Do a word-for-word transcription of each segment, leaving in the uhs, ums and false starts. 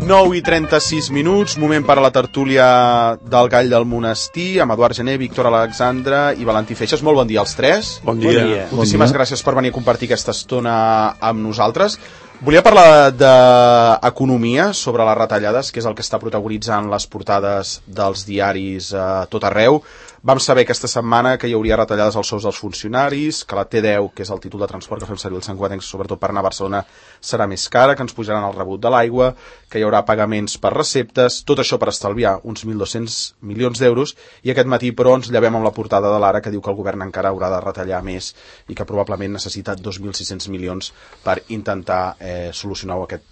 nou i trenta-sis minuts, moment per a la tertúlia del Gall del Monestir, amb Eduard Gené, Víctor Alexandre i Valentí Feixes. Molt bon dia als tres. Bon dia. Bon dia. Moltíssimes bon dia. Gràcies per venir a compartir aquesta estona amb nosaltres. Volia parlar d'economia, sobre les retallades, que és el que està protagonitzant les portades dels diaris a tot arreu. Vam saber aquesta setmana que hi hauria retallades als sous dels funcionaris, que la T deu, que és el títol de transport que fem servir els santcugatencs, sobretot per anar a Barcelona, serà més cara, que ens pujaran el rebut de l'aigua, que hi haurà pagaments per receptes, tot això per estalviar uns mil dos-cents milions d'euros, i aquest matí, però, ens llevem amb la portada de l'Ara, que diu que el govern encara haurà de retallar més i que probablement necessita dos mil sis-cents milions per intentar eh, solucionar aquest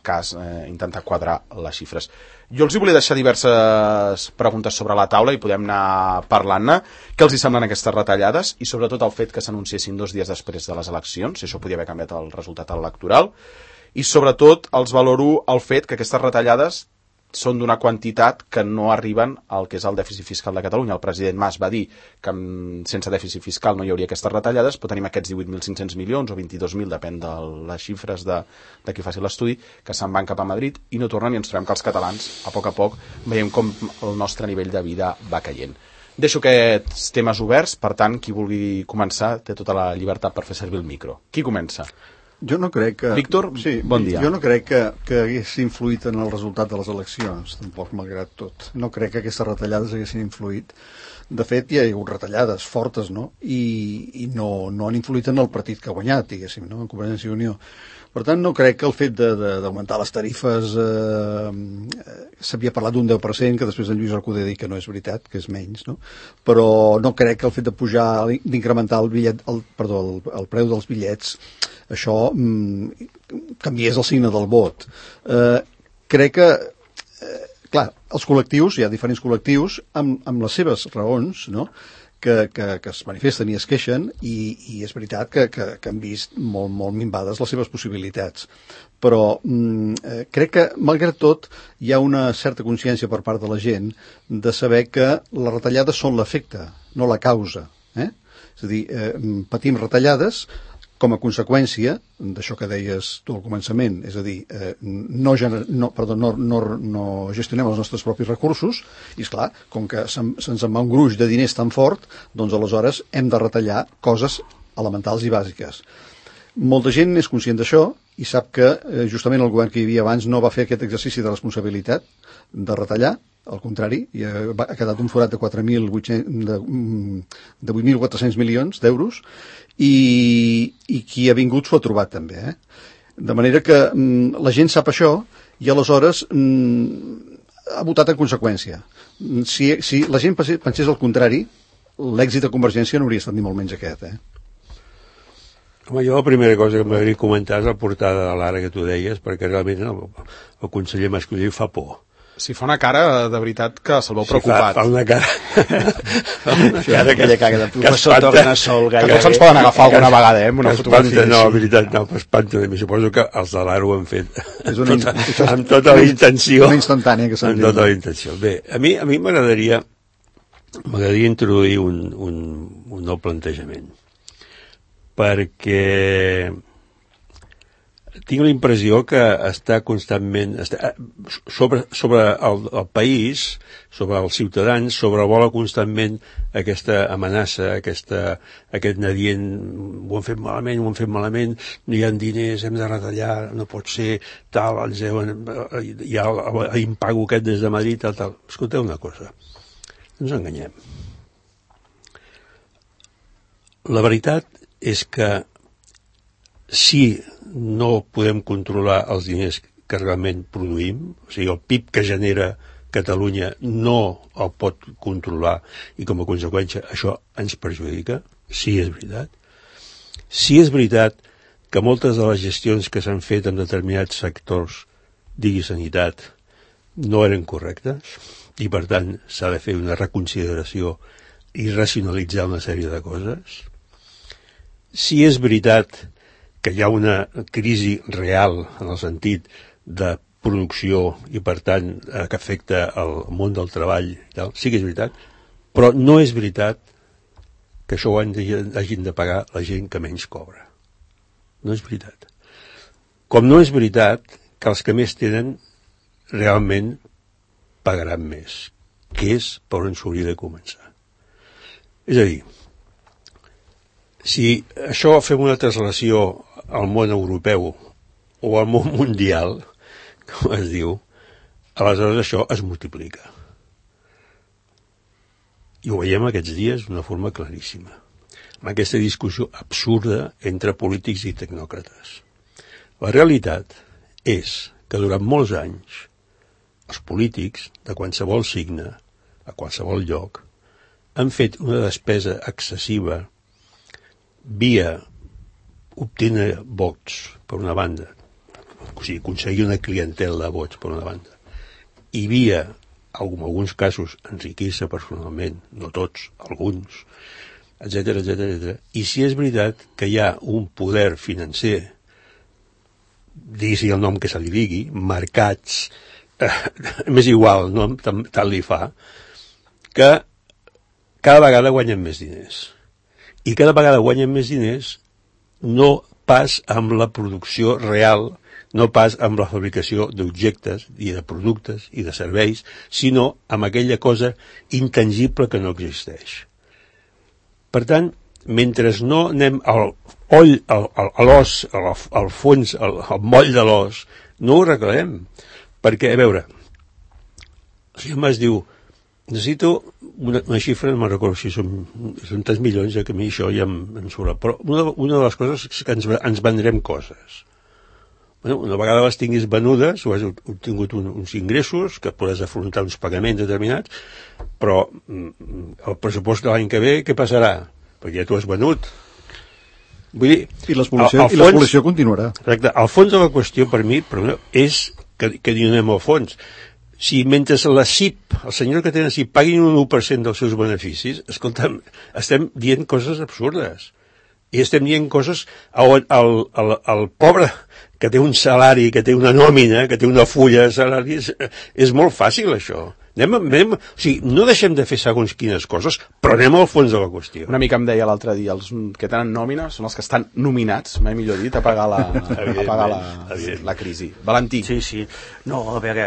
cas, eh, intentar quadrar les xifres. Jo els hi volia deixar diverses preguntes sobre la taula i podem anar parlant-ne. Què els hi semblen aquestes retallades i sobretot el fet que s'anunciessin dos dies després de les eleccions, si això podia haver canviat el resultat electoral, i sobretot els valoro el fet que aquestes retallades són d'una quantitat que no arriben al que és el dèficit fiscal de Catalunya. El president Mas va dir que sense dèficit fiscal no hi hauria aquestes retallades, però tenim aquests divuit mil cinc-cents milions o vint-i-dos mil, depèn de les xifres de, de qui faci l'estudi, que se'n van cap a Madrid i no tornen, i ens trobem que els catalans, a poc a poc, veiem com el nostre nivell de vida va caient. Deixo aquests temes oberts, per tant, qui vulgui començar té tota la llibertat per fer servir el micro. Qui comença? Jo no crec que... Víctor, sí, bon dia. Jo no crec que, que hagués influït en el resultat de les eleccions, tampoc, malgrat tot. No crec que aquestes retallades haguessin influït. De fet, hi ha hagut retallades fortes, no? I, i no, no han influït en el partit que ha guanyat, diguéssim, no? En Convergència i Unió. Per tant, no crec que el fet d'augmentar les tarifes... Eh, s'havia parlat d'un deu per cent, que després en Lluís Recoder dit que no és veritat, que és menys, no? Però no crec que el fet de pujar, d'incrementar el bitllet, el, perdó, el, el preu dels bitllets, això mm, canviés el signe del vot. Eh, crec que, eh, clar, els col·lectius, hi ha diferents col·lectius, amb, amb les seves raons, no?, que, que, que es manifesten i es queixen, i, i és veritat que, que, que han vist molt, molt minvades les seves possibilitats. Però mm, eh, crec que, malgrat tot, hi ha una certa consciència per part de la gent de saber que les retallades són l'efecte, no la causa. Eh? És a dir, eh, patim retallades com a conseqüència d'això que deies tu al començament, és a dir, eh, no, gener, no, perdó, no, no, no gestionem els nostres propis recursos, i esclar, com que se'ns se en va un gruix de diners tan fort, doncs aleshores hem de retallar coses elementals i bàsiques. Molta gent és conscient d'això i sap que eh, justament el govern que hi havia abans no va fer aquest exercici de responsabilitat de retallar, al contrari, i ha quedat un forat de quatre mil quatre-cents milions d'euros, i, i qui ha vingut s'ho ha trobat també. Eh? De manera que mm, la gent sap això i aleshores mm, ha votat en conseqüència. Si, si la gent pensés el contrari, l'èxit de Convergència no hauria estat ni molt menys aquest. Eh? Home, jo la primera cosa que m'agradaria comentar és la portada de l'Ara que tu deies, perquè realment el, el conseller Mas-Colell fa por. Si fa una cara, de veritat, que se'l veu preocupat. Si fa, fa una cara... una cara aquella cara de professor Tornasol. Que tots ens poden agafar alguna vegada, eh, amb una fotografia. No, la veritat, no, espanta. Suposo que els de l'Ara ho han fet és una, tota, amb tota la intenció. Una instantània que s'han dit. Amb tota la intenció. Bé, a mi a mi m'agradaria m'agradaria introduir un, un, un nou plantejament. Perquè tinc la impressió que està constantment està, sobre, sobre el, el país, sobre els ciutadans, sobrevola constantment aquesta amenaça, aquesta, aquest nadient, ho han fet malament, ho han fet malament, no hi ha diners, hem de retallar, no pot ser, tal, ens deuen, hi ha l'impago aquest des de Madrid, tal, tal. Escolteu una cosa, no ens enganyem. La veritat és que si no podem controlar els diners que realment produïm, o sigui, el P I B que genera Catalunya no el pot controlar i com a conseqüència això ens perjudica, sí és veritat. Sí és veritat que moltes de les gestions que s'han fet en determinats sectors, digui sanitat, no eren correctes i per tant s'ha de fer una reconsideració i racionalitzar una sèrie de coses. Sí és veritat que hi ha una crisi real en el sentit de producció i per tant que afecta el món del treball i tal. Sí que és veritat, però no és veritat que això ho hagin de pagar la gent que menys cobra. No és veritat. Com no és veritat que els que més tenen realment pagaran més, que és per on s'hauria de començar. És a dir, si això fem una translació al món europeu o al món mundial, com es diu, aleshores això es multiplica. I ho veiem aquests dies d'una forma claríssima, amb aquesta discussió absurda entre polítics i tecnòcrates. La realitat és que durant molts anys els polítics de qualsevol signe, a qualsevol lloc, han fet una despesa excessiva via obtenir vots, per una banda, o sigui, aconseguir una clientela de vots, per una banda, i via, en alguns casos, enriquir-se personalment, no tots, alguns, etcètera, etcètera, etcètera. I si és veritat que hi ha un poder financer, digui-s'hi el nom que se li digui, mercats, eh, m'és igual, el nom tant li fa, que cada vegada guanyen més diners. I cada vegada guanyen més diners no pas amb la producció real, no pas amb la fabricació d'objectes i de productes i de serveis, sinó amb aquella cosa intangible que no existeix. Per tant, mentre no anem al oll, al, al, a l'os, al, al fons, al, al moll de l'os, no ho arreglarem. Perquè, a veure, el senyor Mas diu, necessito una, una xifra, no me'n recordo si són, són tants milions, ja que a mi això ja em, em sobra. Però una, una de les coses és que ens, ens vendrem coses. Bueno, una vegada les tinguis venudes, o has obtingut un, uns ingressos, que podràs afrontar uns pagaments determinats, però el pressupost de l'any que ve, què passarà? Perquè ja t'ho has venut. Vull dir, I l'explotació continuarà. Exacte. El fons de la qüestió, per mi, per mi és que, que ni anem al fons. Si mentre la C I P, el senyor que té la C I P, paguin un u per cent dels seus beneficis, escolta'm, estem dient coses absurdes. I estem dient coses on el, el, el pobre que té un salari, que té una nòmina, que té una fulla de salari, és, és molt fàcil això. Anem, anem, o sigui, no deixem de fer segons quines coses, però anem al fons de la qüestió. Una mica em deia l'altre dia, els que tenen nòmina són els que estan nominats, mai millor dit, a pagar la, a pagar la, la crisi. Valentí. Sí, sí. No, a veure,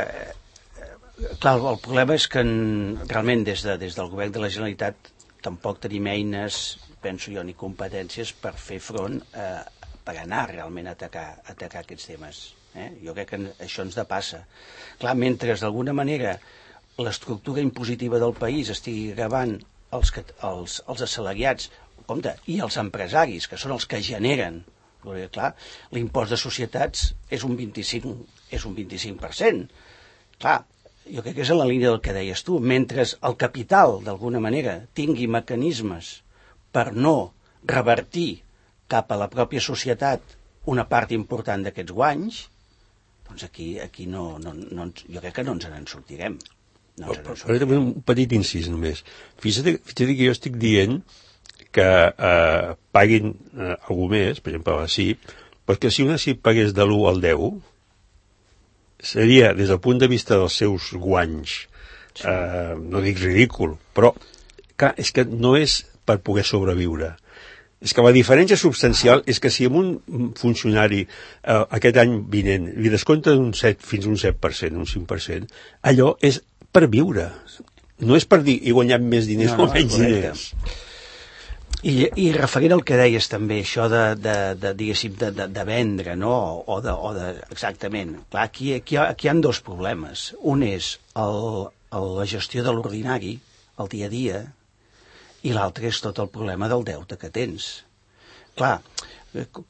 clar, el problema és que en, realment des, de, des del govern de la Generalitat tampoc tenim eines, penso jo, ni competències per fer front eh, per anar realment a atacar, a atacar aquests temes. Eh? Jo crec que això ens depassa. Clar, mentre d'alguna manera l'estructura impositiva del país estigui gravant els, els, els assalariats, compte, i els empresaris, que són els que generen, perquè, clar, l'impost de societats és un vint-i-cinc, és un vint-i-cinc per cent. Clar, jo crec que és en la línia del que deies tu. Mentre el capital, d'alguna manera, tingui mecanismes per no revertir cap a la pròpia societat una part important d'aquests guanys, doncs aquí, aquí no, no, no, jo crec que no ens en sortirem. No ens en sortirem. Un petit incís només. Fixa't, fixa't que jo estic dient que eh, paguin eh, algú més, per exemple la C I P, perquè si una C I P pagués de l'u al deu, seria, des del punt de vista dels seus guanys, sí. eh, no dic ridícul, però clar, és que no és per poder sobreviure. És que la diferència substancial és que si amb un funcionari eh, aquest any vinent li descompten un set fins un set per cent, un cinc per cent, allò és per viure. No és per dir he guanyat més diners no, no, o menys diners. I, I referint al que deies també, això de, de, de diguéssim, de, de, de vendre, no? O de, o de, exactament. Clar, aquí, aquí, aquí hi ha dos problemes. Un és el, el, la gestió de l'ordinari, el dia a dia, i l'altre és tot el problema del deute que tens. Clar,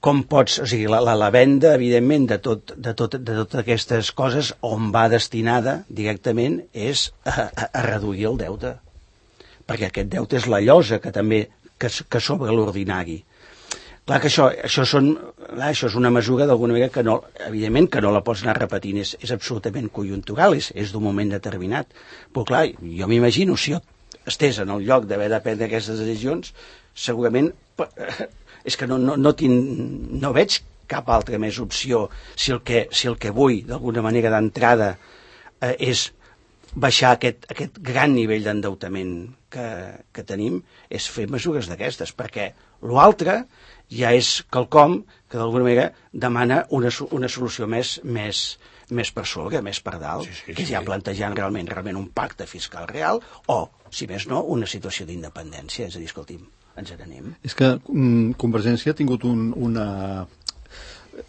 com pots... O sigui, la, la, la venda, evidentment, de, tot, de, tot, de totes aquestes coses, on va destinada directament és a, a, a reduir el deute. Perquè aquest deute és la llosa que també que, que sobre l'ordinari. Clar que això, això, són, clar, això és una mesura d'alguna manera que no, evidentment que no la pots anar repetint, és, és absolutament conjuntural, és, és d'un moment determinat. Però clar, jo m'imagino, si jo estés en el lloc d'haver de prendre aquestes decisions, segurament és que no, no, no, tinc, no veig cap altra més opció si el que, si el que vull d'alguna manera d'entrada eh, és baixar aquest, aquest gran nivell d'endeutament que, que tenim, és fer mesures d'aquestes, perquè l'altre ja és quelcom que d'alguna manera demana una, una solució més, més, més per sobre, més per dalt, sí, sí, que ja plantejant realment realment un pacte fiscal real o, si més no, una situació d'independència. És a dir, escolti'm, ens n'anem. És que um, Convergència ha tingut un, una...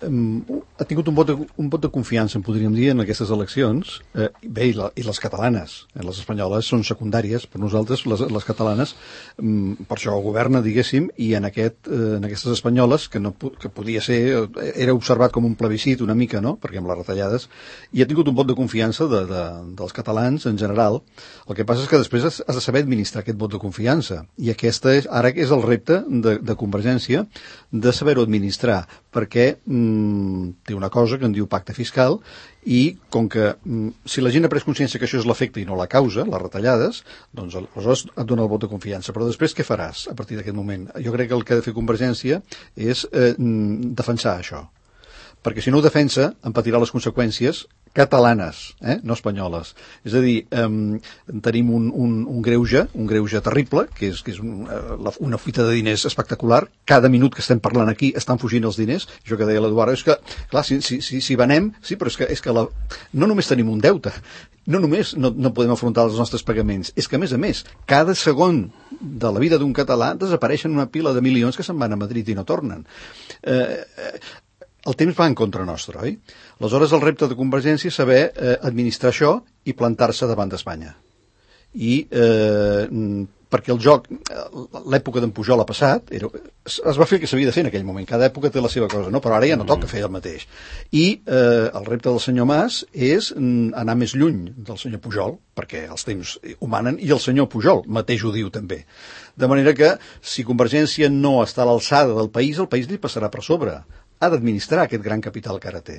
Um, ha tingut un vot, de, un vot de confiança, en podríem dir, en aquestes eleccions. Eh, bé, i, la, i les catalanes. Eh, les espanyoles són secundàries, per nosaltres, les, les catalanes, um, per això governa, diguéssim, i en, aquest, eh, en aquestes espanyoles, que, no, que podia ser, era observat com un plebiscit una mica, no?, perquè amb les retallades, i ha tingut un vot de confiança de, de, dels catalans en general. El que passa és que després has, has de saber administrar aquest vot de confiança, i aquesta és, ara és el repte de, de Convergència, de saber-ho administrar, perquè mm, té una cosa que en diu pacte fiscal, i com que mm, si la gent ha pres consciència que això és l'efecte i no la causa, les retallades, doncs aleshores et dona el vot de confiança. Però després què faràs a partir d'aquest moment? Jo crec que el que ha de fer Convergència és eh, defensar això, perquè si no ho defensa en patirà les conseqüències catalanes, eh? No espanyoles. És a dir, eh, tenim un, un, un greuge, un greuge terrible, que és, que és un, uh, una fuita de diners espectacular. Cada minut que estem parlant aquí estan fugint els diners. Això que deia l'Eduard, és que, clar, si, si, si, si venem, sí, però és que, és que la, no només tenim un deute, no només no, no podem afrontar els nostres pagaments, és que, a més a més, cada segon de la vida d'un català desapareixen una pila de milions que se'n van a Madrid i no tornen. Eh, eh, el temps va en contra nostra, oi? Aleshores, el repte de Convergència és saber eh, administrar això i plantar-se davant d'Espanya. I eh, perquè el joc, l'època d'en Pujol ha passat, era, es, es va fer el que s'havia de fer en aquell moment, cada època té la seva cosa, no? Però ara ja no toca fer el mateix. I eh, el repte del senyor Mas és anar més lluny del senyor Pujol, perquè els temps ho manen, i el senyor Pujol mateix ho diu també. De manera que, si Convergència no està a l'alçada del país, el país li passarà per sobre. Ha d'administrar aquest gran capital que ara té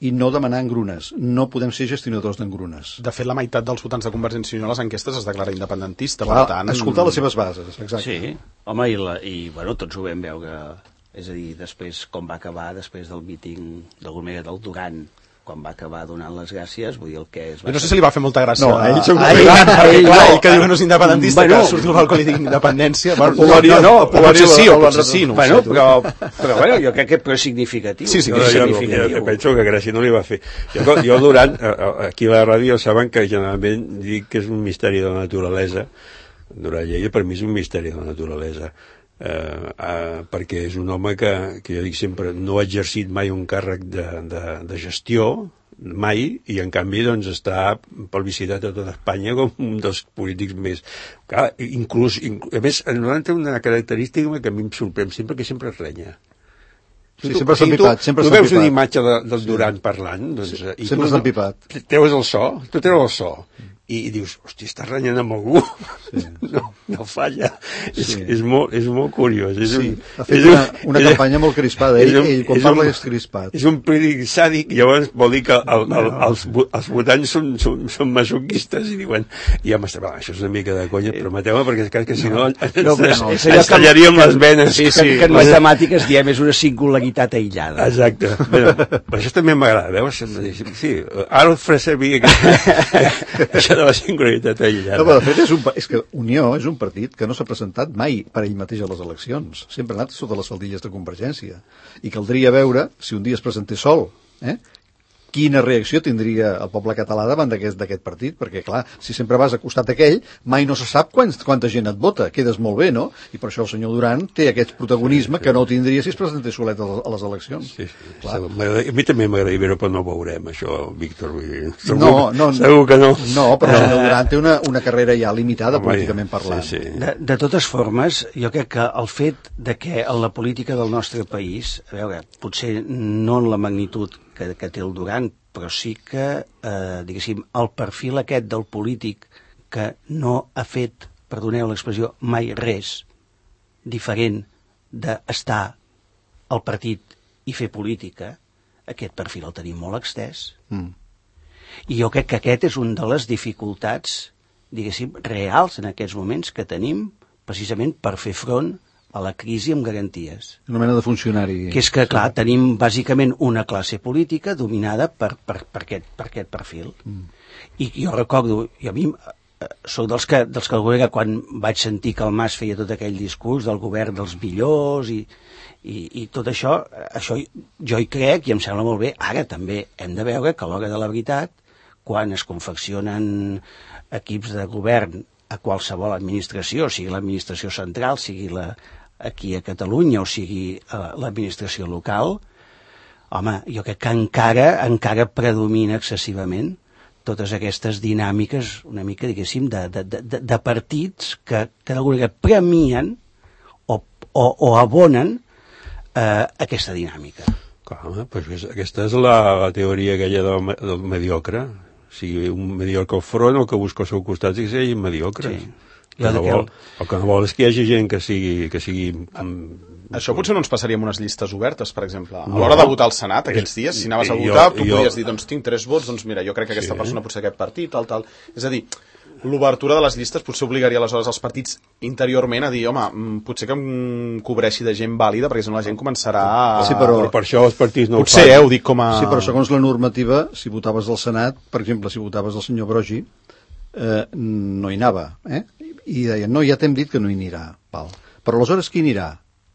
i no demanar engrunes. No podem ser gestionadors d'engrunes. De fet, la meitat dels votants de Convergència i Unió a les enquestes es declara independentista. Clar, per tant, escoltar les seves bases, exacte. Sí, home, i, la, i bueno, tots ho vam veure, és a dir, després com va acabar, després del míting d'alguna manera del Duran, quan va acabar donant les gràcies, vull dir el que es va... Jo no sé si li va fer molta gràcia. No, a ell segur que ell, no. perquè, Ell clar, no. ell que diu que no és independentista, Bueno, que surti al balcó i li digui independència. Bueno, Polaria- no, no, Polaria- potser sí, o Polaria- potser sí, no ho Bueno, sé. tu. però, però bueno, jo crec que però és significatiu. Sí, sí, Jo, que és jo, jo, significatiu. jo penso que gràcia no li va fer. Jo, jo durant, aquí a la ràdio saben que generalment dic que és un misteri de la naturalesa. Durant Lleida per mi és un misteri de la naturalesa. Eh, eh, perquè és un home que, que jo dic sempre no ha exercit mai un càrrec de, de, de gestió, mai, i en canvi doncs està plebiscitat a tota Espanya com un dels polítics més... Clar, inclús, inclús a més, en té una característica que a mi em sorprèn sempre, que sempre es renya. Sí, sempre s'ha empipat, sempre tu s'ha veus una empipat. imatge de, del Duran parlant, doncs, Sí, i sempre tu s'ha empipat. treus el so, tu treus el so, i, i dius, hosti, estàs renyant amb algú. Sí. No, no falla. Sí. És, és, molt, és molt curiós. És Sí, un, ha fet és una, un- una és- campanya molt crispada. Ell, és un- ell quan és parla un- és crispat. És un polític sàdic, llavors vol dir que el, el, els, vo- els votants són, són, són masoquistes i diuen, i home, va, això és una mica de conya, prometeu-me, perquè crec que si no, ens, No, però no, ens, és allò ens que- tallaríem les venes. Sí, sí, que, que en matemàtiques diem és una singularitat aïllada. Exacte. Però, però això també m'agrada, veus? Sí, ara el faré servir aquest, això de la singularitat aïllada. No, però de fet és, un, pa- és que Unió és un partit que no s'ha presentat mai per ell mateix a les eleccions. Sempre ha anat sota les faldilles de Convergència. I caldria veure si un dia es presentés sol, eh? Quina reacció tindria el poble català davant d'aquest d'aquest partit, perquè clar, si sempre vas a costat aquell, mai no se sap quants, quanta gent et vota, quedes molt bé, no? I per això el senyor Duran té aquest protagonisme que no tindria si es presentés solet a les, a les eleccions. Sí, sí. Clar. M'agrada- A mi també m'agradaria veure, però no ho veurem, això, Víctor. Vull dir, segur, No, no, segur que no. No, però el senyor Duran té una, una carrera ja limitada, Home, políticament parlant. Sí, sí. De, de totes formes, jo crec que el fet de que en la política del nostre país, a veure, potser no en la magnitud que, que té el Duran, però sí que, eh, diguéssim, el perfil aquest del polític que no ha fet, perdoneu l'expressió, mai res diferent d'estar al partit i fer política, aquest perfil el tenim molt extès. Mm. I jo crec que aquest és un de les dificultats, diguéssim, reals en aquests moments que tenim precisament per fer front a la crisi amb garanties. Una mena de funcionari. Que és que, clar, tenim bàsicament una classe política dominada per, per, per, aquest, per aquest perfil. Mm. I jo recordo, i a mi eh, soc dels que, dels que quan vaig sentir que el Mas feia tot aquell discurs del govern dels millors i, I, i tot això, això jo hi crec i em sembla molt bé. Ara també hem de veure que a l'hora de la veritat, quan es confeccionen equips de govern a qualsevol administració, sigui l'administració central, sigui la, aquí a Catalunya o sigui uh, l'administració local, home, jo crec que encara, encara predomina excessivament totes aquestes dinàmiques una mica, diguéssim, de, de, de, de partits que, que d'alguna manera premien o, o, o abonen eh, aquesta dinàmica. Clar, pues aquesta és la, la teoria aquella del, del mediocre. O sigui, un mediocre al front, el que busca al seu costat és que sigui mediocre. Sí. El que, no vol, el que no vol és que hi hagi gent que sigui... Que sigui amb... Això potser no ens passaria amb unes llistes obertes, per exemple. A l'hora de votar al Senat, aquells dies, si anaves a votar, jo, tu jo... podies dir, doncs tinc tres vots, doncs mira, jo crec que aquesta sí. persona pot ser aquest partit, tal, tal. És a dir, l'obertura de les llistes potser obligaria aleshores els partits interiorment a dir, home, potser que em cobreixi de gent vàlida, perquè si no la gent començarà a... Sí, però, però per això els partits no potser, ho fan. Eh, ho dic com a... Sí, però segons la normativa, si votaves al Senat, per exemple, si votaves el senyor Brogi, eh, no hi anava, eh? I deien, no, ja t'hem dit que no hi anirà, Pal. Però aleshores qui anirà?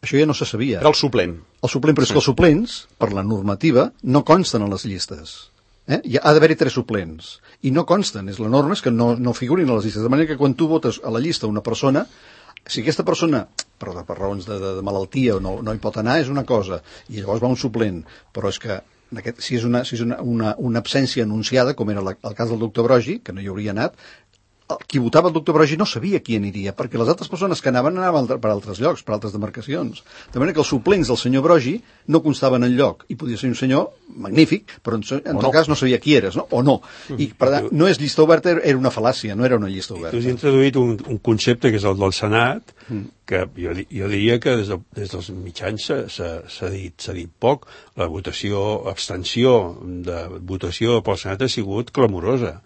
Això ja no se sabia. Era el suplent. El suplent, però és que els suplents, per la normativa, no consten a les llistes. Eh? Hi ha d'haver-hi tres suplents. I no consten. És la norma és que no, no figurin a les llistes. De manera que quan tu votes a la llista una persona, si aquesta persona, per, per raons de, de, de malaltia o no, no hi pot anar, és una cosa. I llavors va un suplent. Però és que aquest, si és, una, si és una, una, una absència anunciada, com era la, el cas del doctor Brogi, que no hi hauria anat, qui votava el doctor Brogi no sabia qui aniria, perquè les altres persones que anaven anaven per altres llocs, per altres demarcacions. De manera que els suplents del senyor Brogi no constaven en lloc, i podia ser un senyor magnífic, però en, en tot no. cas no sabia qui eres, no? O no. I per tant, no és llista oberta, era una fal·làcia, no era una llista oberta. Tu has introduït un, un concepte que és el del Senat, mm. que jo, jo diria que des, de, des dels mitjans s'ha dit, s'ha dit poc. La votació, abstenció de votació pel Senat ha sigut clamorosa.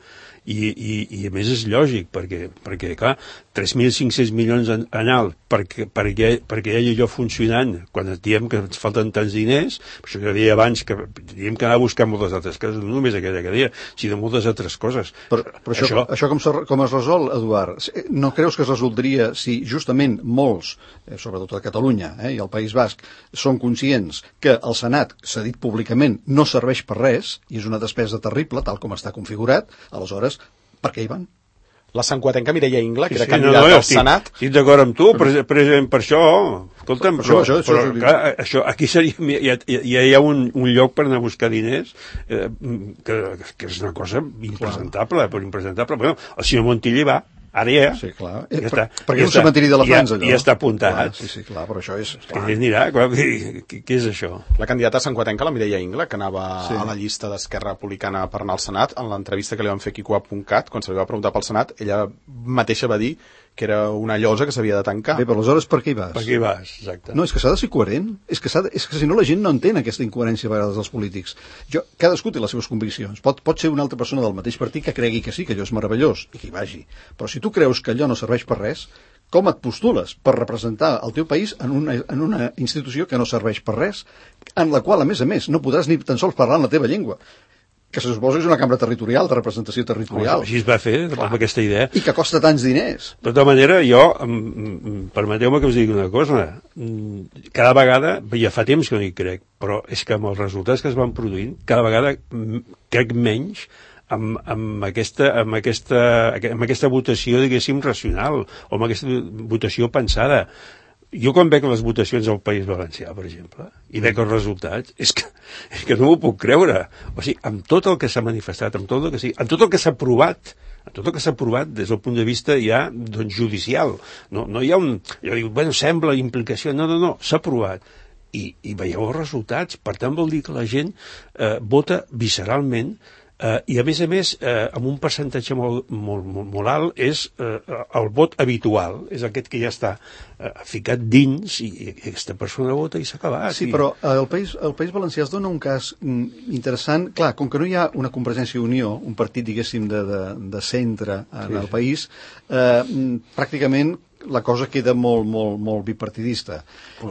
I, i, i a més és lògic perquè, perquè clar, tres mil cinc-cents milions en, en alt perquè, perquè, perquè hi hagi allò funcionant quan et diem que ens falten tants diners, per això que deia abans que diem que anar a buscar moltes altres coses, no només aquella que deia, sinó moltes altres coses. Però, però això, això... això com, com es resol, Eduard? No creus que es resoldria si justament molts, eh, sobretot a Catalunya eh, i al País Basc, són conscients que el Senat, s'ha dit públicament, no serveix per res i és una despesa terrible, tal com està configurat, aleshores per què hi van? La santquatenca Mireia Ingla, que sí, era sí, candidata no, no, al estic, Senat. Estic d'acord amb tu, precisament per això. Escolta'm, per però, això, això, però això, clar, això, aquí seria, ja, ja hi ha un, un lloc per anar a buscar diners eh, que, que és una cosa impresentable, però impresentable. Bueno, el senyor Montilla va, ara ja. Sí, clar. Ja per, està, perquè ja és un cementiri de la França, allò. Ja està apuntat. Clar, sí, sí, clar, però això és... Clar. Que anirà, clar, què, què és això? La candidata santquatenca, la Mireia Ingla, que anava sí. a la llista d'Esquerra Republicana per anar al Senat, en l'entrevista que li van fer a Quico punt cat, quan se li va preguntar pel Senat, ella mateixa va dir que era una llosa que s'havia de tancar. Bé, però aleshores per què hi vas? Per què hi vas, exacte. No, és que s'ha de ser coherent. És que, de, és que si no la gent no entén aquesta incoherència a vegades dels polítics. Jo, cadascú té les seves conviccions. Pot, pot ser una altra persona del mateix partit que cregui que sí, que allò és meravellós, i que hi vagi. Però si tu creus que allò no serveix per res, com et postules per representar el teu país en una, en una institució que no serveix per res, en la qual, a més a més, no podràs ni tan sols parlar en la teva llengua, que se suposa és una cambra territorial, de representació territorial. Així es va fer, amb aquesta idea. I que costa tants diners. De tota manera, jo, permeteu-me que us digui una cosa, cada vegada, ja fa temps que no hi crec, però és que amb els resultats que es van produint, cada vegada crec menys amb, amb, aquesta, amb, aquesta, amb aquesta votació, diguéssim, racional, o amb aquesta votació pensada. Jo quan veig les votacions al País Valencià, per exemple, i veig els resultats, és que, és que no m'ho puc creure. O sigui, amb tot el que s'ha manifestat, amb tot el que sigui, amb tot el que s'ha aprovat, amb tot el que s'ha aprovat des del punt de vista ja doncs, judicial. No, no hi ha un... Jo dic, bueno, sembla implicació. No, no, no, s'ha aprovat. I, I veieu els resultats. Per tant, vol dir que la gent eh, vota visceralment. Uh, i a més a més, uh, amb un percentatge molt, molt, molt, molt alt, és uh, el vot habitual, és aquest que ja està uh, ficat dins i, i aquesta persona vota i s'ha acabat. Sí, i... però el País, el País Valencià es dona un cas mm, interessant. Clar, com que no hi ha una Convergència i Unió, un partit, diguéssim, de, de, de centre en sí, el sí. país, eh, pràcticament la cosa queda molt, molt, molt bipartidista.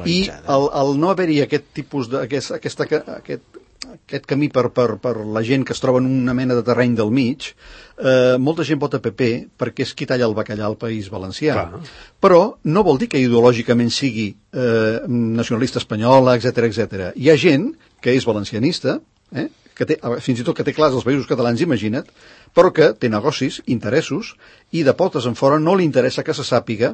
I el, el no haver-hi aquest tipus de... Aquest, aquesta, aquest, aquest camí per, per, per la gent que es troba en una mena de terreny del mig, eh, molta gent vota P P perquè és qui talla el bacallà al País Valencià. Clar. Però no vol dir que ideològicament sigui eh, nacionalista espanyola, etcètera, etcètera. Hi ha gent que és valencianista, eh, que té, fins i tot que té clars els països catalans, imagina't, però que té negocis, interessos, i de potes en fora no li interessa que se sàpiga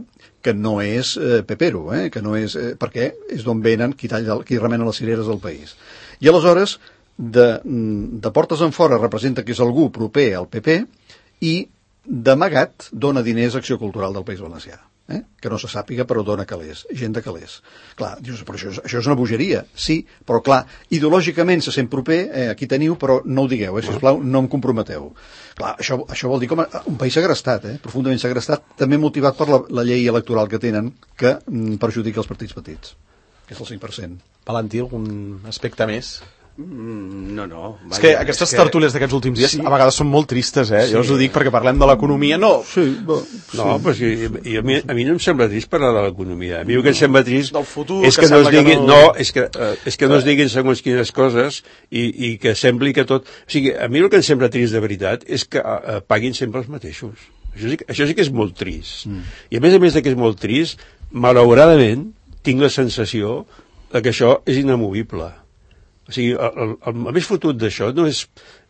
que no és eh, pepero, eh, que no és, eh, perquè és d'on venen qui, talla, qui remena les cireres del país. I aleshores, de, de portes en fora representa que és algú proper al P P i d'amagat dona diners a Acció Cultural del País Valencià. Eh? Que no se sàpiga, però dona calés, gent de calés. Clar, dius, però això, això és una bogeria, sí, però clar, ideològicament se sent proper, eh, aquí teniu, però no ho digueu, eh, sisplau, no em comprometeu. Clar, això, això vol dir com a, un país segrestat, eh, profundament segrestat, també motivat per la, la llei electoral que tenen, que mm, perjudica els partits petits, que és el cinc per cent. Valentí, algun aspecte més? Mm, no, no. Vaja, és que aquestes és que... tertúlies d'aquests últims dies sí. a vegades són molt tristes, eh? Sí. Jo us ho dic perquè parlem de l'economia, no. Sí, bo, sí. No, però sí, i a, mi, a mi no em sembla trist parlar de l'economia. A mi el que em sembla trist del futur, és que, que no es diguin, no... no, és que, uh, és que no es diguin segons quines coses i, i que sembli que tot... O sigui, a mi el que em sembla trist de veritat és que uh, paguin sempre els mateixos. Això sí, això sí que és molt trist. Mm. I a més a més de que és molt trist, malauradament tinc la sensació de que això és inamovible. O sigui, el, el, el més fotut d'això no és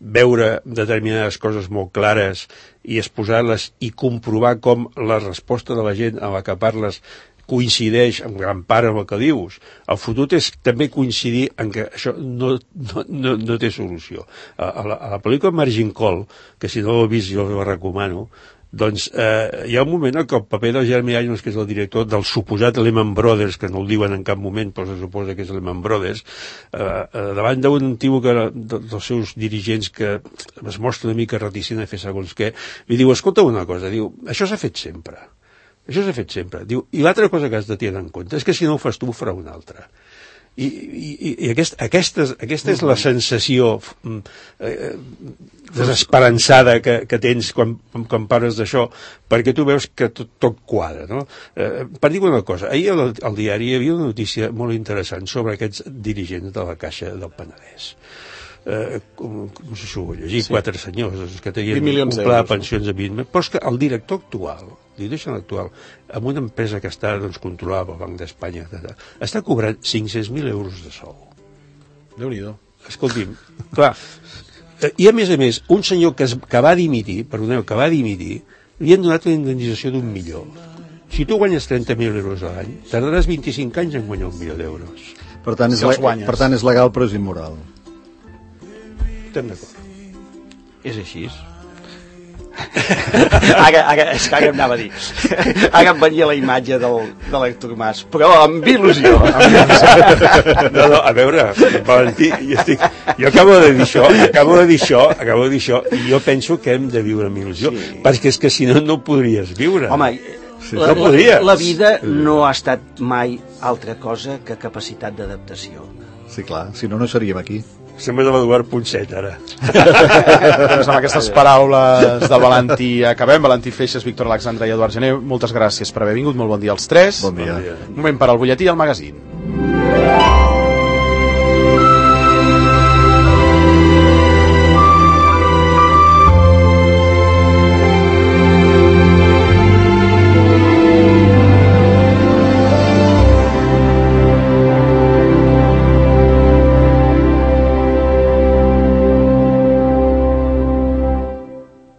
veure determinades coses molt clares i exposar-les i comprovar com la resposta de la gent a la que parles coincideix en gran part amb el que dius. El fotut és també coincidir en que això no, no, no, no té solució. A, a, la, a la pel·lícula Margin Call, que si no l'heu vist jo la recomano, doncs eh, hi ha un moment en què el paper del Jeremy Irons, que és el director del suposat Lehman Brothers, que no el diuen en cap moment, però se suposa que és Lehman Brothers, eh, eh, davant d'un tio que, de, dels seus dirigents que es mostra una mica reticent a fer segons què, li diu, escolta una cosa, diu, això s'ha fet sempre, això s'ha fet sempre, diu, i l'altra cosa que has de tenir en compte és que si no ho fas tu ho farà un altre. I, i, i aquest, aquesta, aquesta és la sensació eh, desesperançada que, que tens quan, quan parles d'això, perquè tu veus que tot, tot quadra, no? Eh, per dir una cosa, ahir al, al diari hi havia una notícia molt interessant sobre aquests dirigents de la Caixa del Penedès. Eh, com, com no sé si ho vull llegir, sí. Quatre senyors que tenien un pla de pensions a vint, però és que el director actual, el director actual, amb una empresa que està doncs, controlada pel Banc d'Espanya, està cobrant cinc-cents mil euros de sou. Déu-n'hi-do. Escolti'm, clar, i a més a més, un senyor que, es, que va dimitir, perdoneu, que va dimitir, li han donat una indemnització d'un milió. Si tu guanyes trenta mil euros a l'any, tardaràs vint-i-cinc anys en guanyar un milió d'euros. Per tant, és, si le... per tant, és legal però és immoral. Estem d'acord. És així. ara, ara, és que ara em anava a dir. Ara em venia la imatge del, de l'Hèctor Mas, però amb il·lusió. No, no, a veure, Valentí, jo, estic, jo acabo de dir això, acabo de dir això, acabo de dir això, i jo penso que hem de viure amb il·lusió, sí. Perquè és que si no, no podries viure. Home, sí, la, no la, la vida no ha estat mai altra cosa que capacitat d'adaptació. Sí, clar, si no, no seríem aquí. Sembla de l'Eduard Ponset, ara. Doncs amb aquestes paraules de Valentí acabem. Valentí Feixes, Víctor Alexandre i Eduard Gené, moltes gràcies per haver vingut. Molt bon dia als tres. Bon dia. Un moment per al butlletí i al magazín.